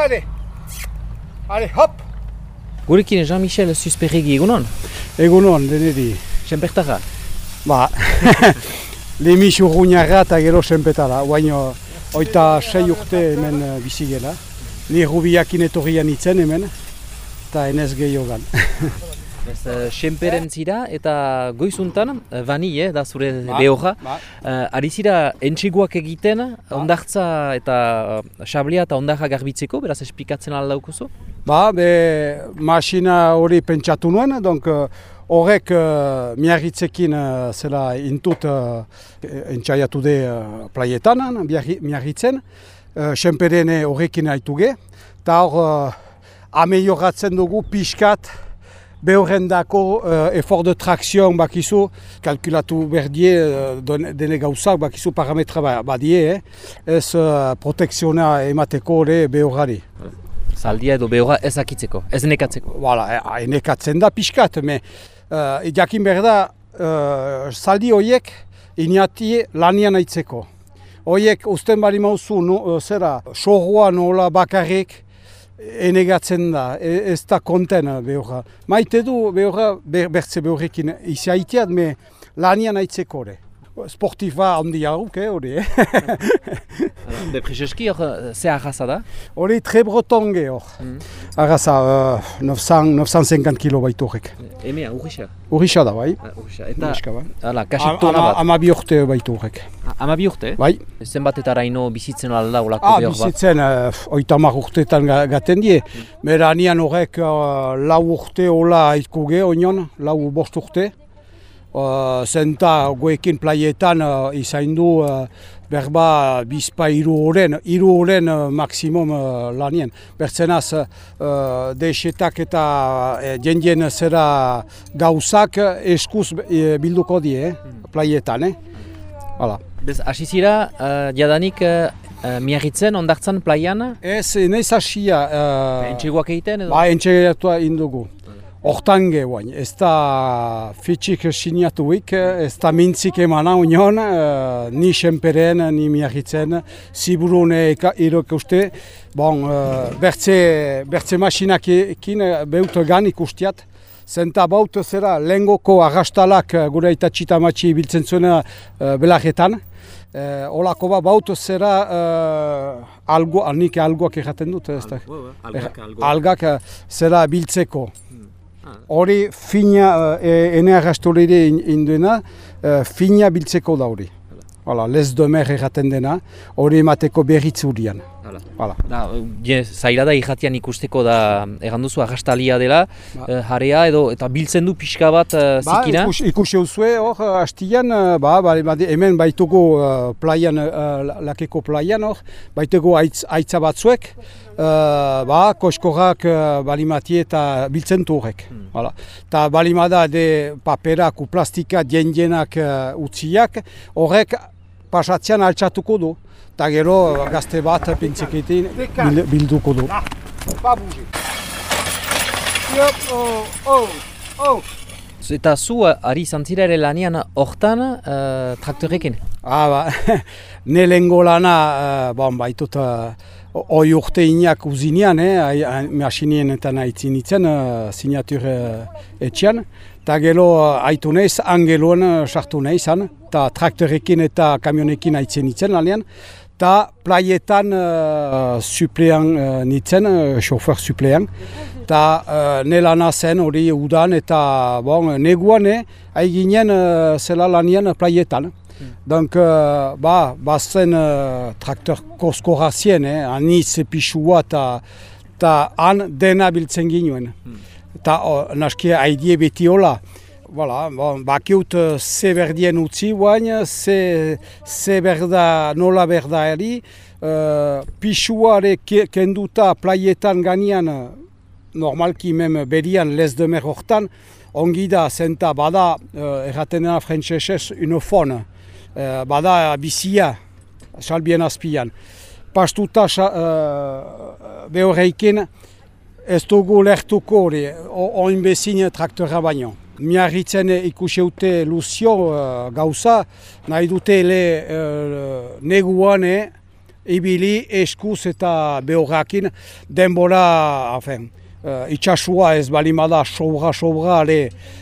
Allez, hop! Gurekin Jean-Michel Zuzperregi egunon? Egunon, deneri. Senpertara? Ba, lehmis urruñarra eta gero senpetara. Baina, 6 urte hemen bizigela. Ni rubiakin etorrian itzen hemen, eta enez gehiogan. Senperen zira eta goizuntan, bani, da zure behorra, ari zira entxeguak egiten, ondartza eta xablia eta ondarra garbitzeko, beraz esplikatzen aldaukuzu? Ba, masina hori pentsatu nuen, horrek miarritzekin zela intut entxaiatu de plaietan, miarritzen, senperene horrekin haituge, eta hor amelioratzen dugu pixkat, behorrendako effort de traction bakizu, kalkulatu berdie dene gauzak bakizu parametra badie, ez protekziona emateko hori behorari. Zaldia edo behorra ez akitzeko, ez nekatzeko? Nekatzen da pixkat, jakin behar da, zaldi horiek inati lanian aitzeko. Horiek usten bari mauzu, sorroa nola bakarrik, enegatzen da, ez da konten behorra. Maite du behorra bertze behorrekin izaiteat, lanian aitzeko hori. Sportifa handi hauk, hori. Prezeski hor, ze arraza da? Hori tre bretonge hor. Arraza, 950 kilo baitu horrek. Emea, urrisa? Urrisa da, bai. Eta, kasik tona bat? 12 urte baitu horrek. 12 urte? Bai. Zenbatetaraino bizitzen alda olako behor bat? Bizitzen, 30 urteetan gaten die. Bera anian horrek 4 urte hola haitkuge, onion, 4-5 urte. Zenta goekin plaietan izain du berba bizpa 3 horren maksimum lanien. Bertzenaz desetak eta jendien zera gauzak eskuz bilduko die plaietan. Bez, hasi zira, jadanik miarritzen, ondartzan, plaian? Ez, nahiz hasia. Entxeguak egiten edo? Ba, entxeguak indugu. Hortange guain, ez da fitxik sinatuik, ez da mintzik emana union, ni senperen, ni miarritzen, ziburune irok uste. Bon, bertze masinakekin beut gan ikustiat. Zenta baut zera lehengoko arrastalak gure eta txitamatxi biltzen zuena belarretan. Olako baut zera nik algoak erraten dut. Algak zera biltzeko. Hori fina, ene arrastolere induena, fina biltzeko da hori. Lez domer erraten dena, hori emateko berritz hurian. Zaila da irratian ikusteko da erranduzu arrastalia dela, jarea edo eta biltzen du pixka bat zikina? Ikusi hauzue hor, hastian, hemen baitugu plaian, lakeko plaian hor, baitugu aitza batzuek, koskorrak balimati eta biltzen du horrek. Eta balimada de paperak, plastika, dienak utziak, horrek pasatzean altxatuko du. Eta gero gazte bat pintzeketin bilduko du. Eta zu ari zantzira ere lanian hortan traktorekin? Ne lehengo lana baitut hoi urte inak uzinean, masinien eta nahitzin itzen, sinatur etxean. Eta gero haitu nahiz, angeloan sartu nahizan, eta traktorekin eta kamionekin haitzen itzen lanean. Eta plaietan suplean nitzen, xofer suplean. Eta nelana zen hori udan eta neguan haiginen zela lanian plaietan. Donc, bazen traktor koskorazien, aniz pixua eta han dena biltzen ginuen. Eta naski haidie beti hola. Bakiut ze berdien utzi guain, ze berda, nola berda eri, pixuare kenduta plaietan ganian, normalki mem berian lez demer hortan, ongi da, zenta bada, erraten dena frantzesez, unofon, bada bizia, salbien azpian. Pastuta behorreikin, ez dugu lertuko hori, oinbezin traktora baino. Miarritzen ikusi dute Luzio gauza, nahi dute neguan ibili eskuz eta behorrakin denbora, itxasua ez balimada sobra,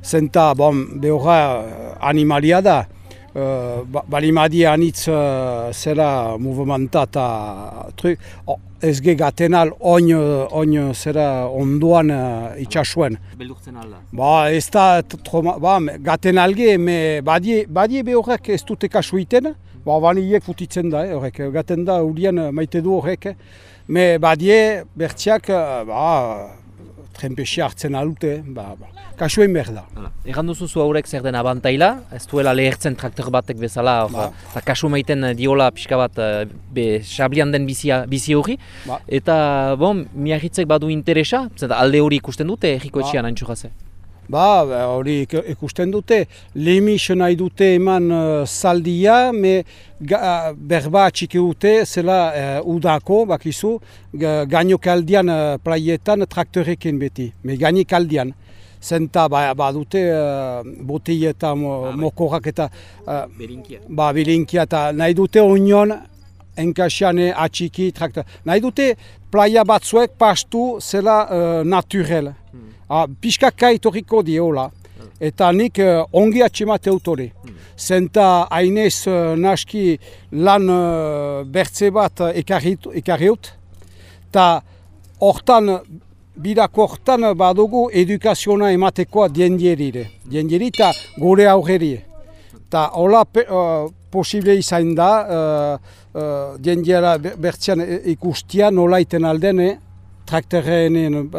zenta behorra animalia da. Balimadi anitz zera movimenta eta ez ge gatenal oin zera onduan itxasuen. Beldurtzen alda? Ez da, gatenalge, badie behorrek ez dute kasu iten, baniek futitzen da, horrek, gaten da, urien maite du horrek, badie bertziak, trenpesia hartzen alute, kasuen behar da. Egan duzu zu haurek zer den abantaila, ez duela lehertzen traktor batek bezala, eta kasu maiten diola pixka bat sablian den bizi hori, eta miagitzek badu interesa, alde hori ikusten dute erriko etxean hain txugaze? Hori ikusten dute, lemis nahi dute eman zaldia, berba txiki dute, zela udako, bakizu, gainokaldian plaietan traktorekin beti, gainokaldian. Zenta badute botei eta mokorak eta bilinkia eta nahi dute onion enkasiane atxiki traktor. Nahi dute playa batzuek pastu zela naturel. Piskak kaitoriko diola, eta nik ongi atxemate autori. Zenta hainez naski lan bertze bat ekarriut, eta hortan, bidako hortan badugu edukaziona ematekoa diendieri eta gure aurreri. Eta hola posible izan da, diendiera bertzean ikustia nola iten alden, traktorren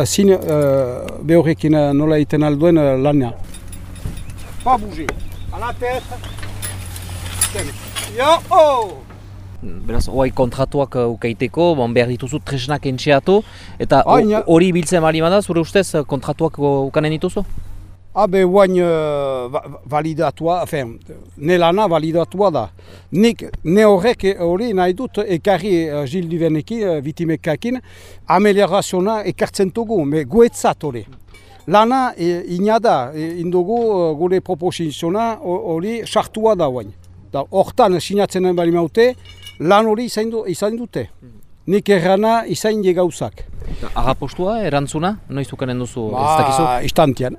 behorrekin nola iten alduen lana. Pas bouger. À la tête. Beraz, oai kontratuak ukaiteko, behar dituzu tresnak entxeatu, eta hori biltzen bali bada, zure ustez kontratuak ukanen dituzu? Guain validatua, ne lana validatua da. Ne horrek hori nahi dut ekarri Gilles Duvernekin, vitimekakin, amelioraziona ekartzen dugu, guetzat hori. Lana inada, indugu gure proposiziona hori sartua da guain. Hortan sinatzen bali maute, lan hori izan dute. Nik errana izan die gauzak. Agapostua, erantzuna? Noiz ukanen duzu ez dakizu? Istantian.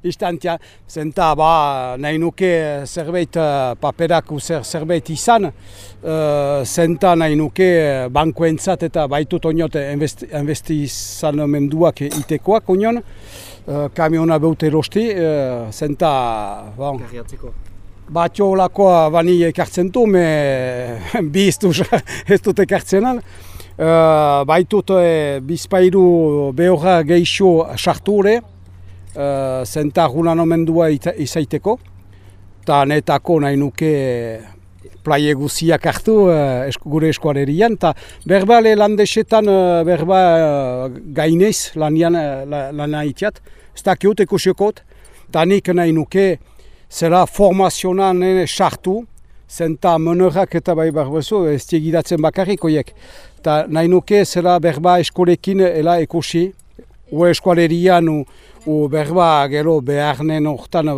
Istantian. Zenta nahi nuke zerbait paperak zerbait izan. Zenta nahi nuke bankoentzat eta baitut oniot investizamenduak itekoak onion. Kamiona beut erosti. Zenta... Karriatzeko. Batio olakoa bani ekartzen du, bi ez dut ekartzenan. Baitut bizpairu behorra geixo sarture, zenta gunan omendua izaiteko. Eta netako nahi nuke plaie guziak hartu gure eskualerian. Berbale landesetan berba gainez lana itiat. Ez dakiut ekusiokot. Eta nik nahi nuke zela formazionan sartu, zenta monorak eta bai barbezu, ez tiegidatzen bakarrik oiek. Eta nahi nuke zela berba eskolekin ela ekosi, eskualerian berba gero beharnen hortan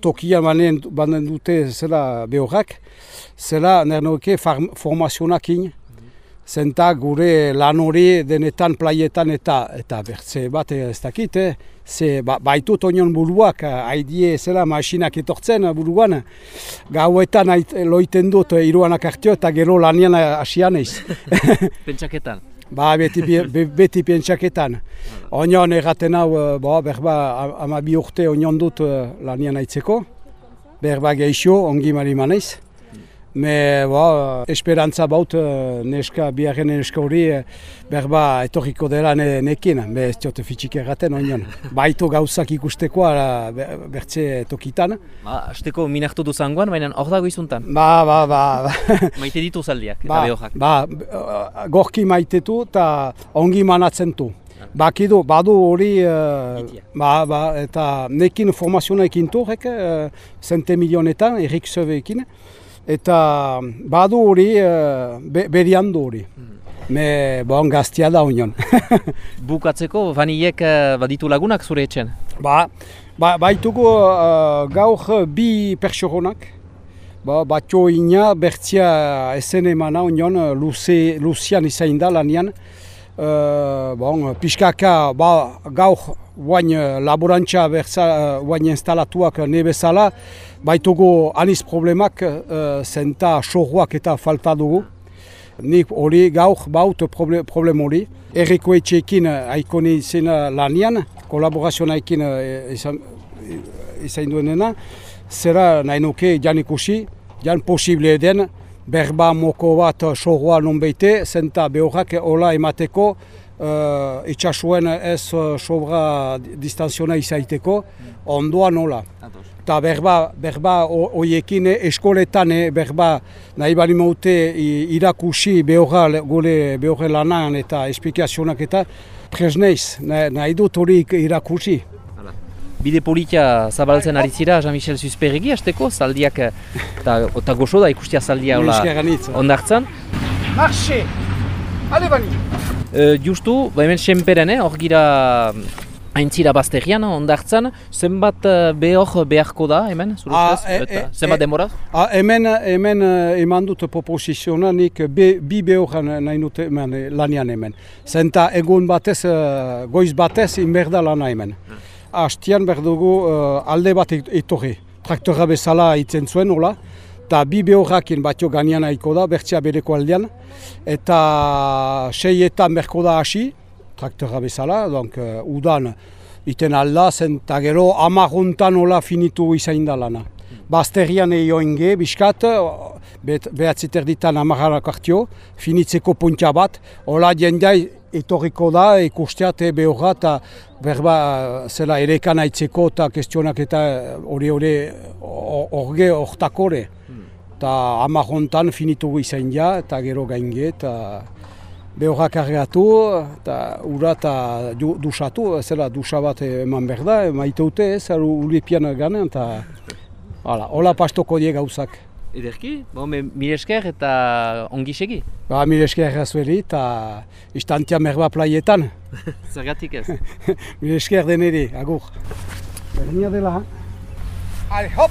tokian banen dute zela behorrak, zela nahi nuke formazionakin, zenta gure lan hori denetan plaietan eta bertze bat ez dakit, baitut onion buruak, haidie zela masinak etortzen buruan, gauetan loiten dut iruanak hartio eta gero lanian asian eiz. Pentsaketan? Beti pentsaketan. Onion erraten hau, berba 12 urte onion dut lanian aitzeko, berba geixo, ongi marimaneiz. Esperantza baut biharren neska hori berba etorriko dela nekin, ez diote fitxik erraten onion. Baitu gauzak ikustekoa bertze tokitan. Azteko minartu duzangoan, baina hor dago izuntan? Maite ditu zaldiak eta behojak? Gorki maitetu eta ongi manatzen du. Bakidu, badu hori, eta nekin formazioa ekin turek, 100 milionetan, Erik Söveekin. Eta badu hori, beriandu hori. Gaztia da union. Bukatzeko, Vanillek baditu lagunak zure etxen? Baitugu gaur bi pertsonak, batxo ina bertzia esen emana union luzian izain da lanian. Piskaka gaur guain laborantza guain instalatuak nebezala, baitugu aniz problemak zenta sorruak eta falta dugu. Nik hori gaur baut problem hori. Erriko etxeekin haikone izena lanian, kolaborazioaekin izain duenena, zera nahi nuke jan ikusi, jan posible den, berba moko bat sorroa non beite, zenta behorrak hola emateko, itxasuen ez sobra distanziona izaiteko, ondoan hola. Eta berba horiekin eskoletan berba nahi bali maute irakusi gure lanan eta esplikazionak eta presneiz, nahi dut hori irakusi. Bide politia zabaltzen ari zira, Jean-Michel Zuzperregi, hasteko, zaldiak eta goxo da ikustia zaldia ondartzan. Marxe! Ale bani! Justu, hemen Senperen, hor gira aintzira bazterian, ondartzan, zenbat behor beharko da hemen, zure ustez? Zenbat demora? Hemen eman dut proposiziona nik bi behor nahi dute lanian hemen. Zenta egun batez, goiz batez, inberda lana hemen. Hastian behar dugu alde bat etorri. Traktora bezala itzen zuen, hola. Eta bi behorrakin batio ganian haiko da, bertzea bereko aldean. Eta seietan berko da hasi, traktora bezala, udan iten alda, zenta gero amarruntan hola finitu izain da lana. Bazterian eioinge, biskat, behatziterditan amarrak hartio, finitzeko puntia bat, hola jendai etorriko da, ikusteat behorra eta berba zela erekan aitzeko eta kestionak eta hori horge hortakore. Eta amarrontan finitu izain ja, eta gero gainge, eta behorra kargatu, eta ura eta dusatu, zela dusa bat eman behar da, maite dute ez, ulipian ganen, eta hola pastoko die gauzak. Ederki, mil esker eta ongi segi? Mil esker zueri eta istantia merba plaietan. Zergatik ez? Mil esker deneri, agur. Berdina dela. Hale, hop!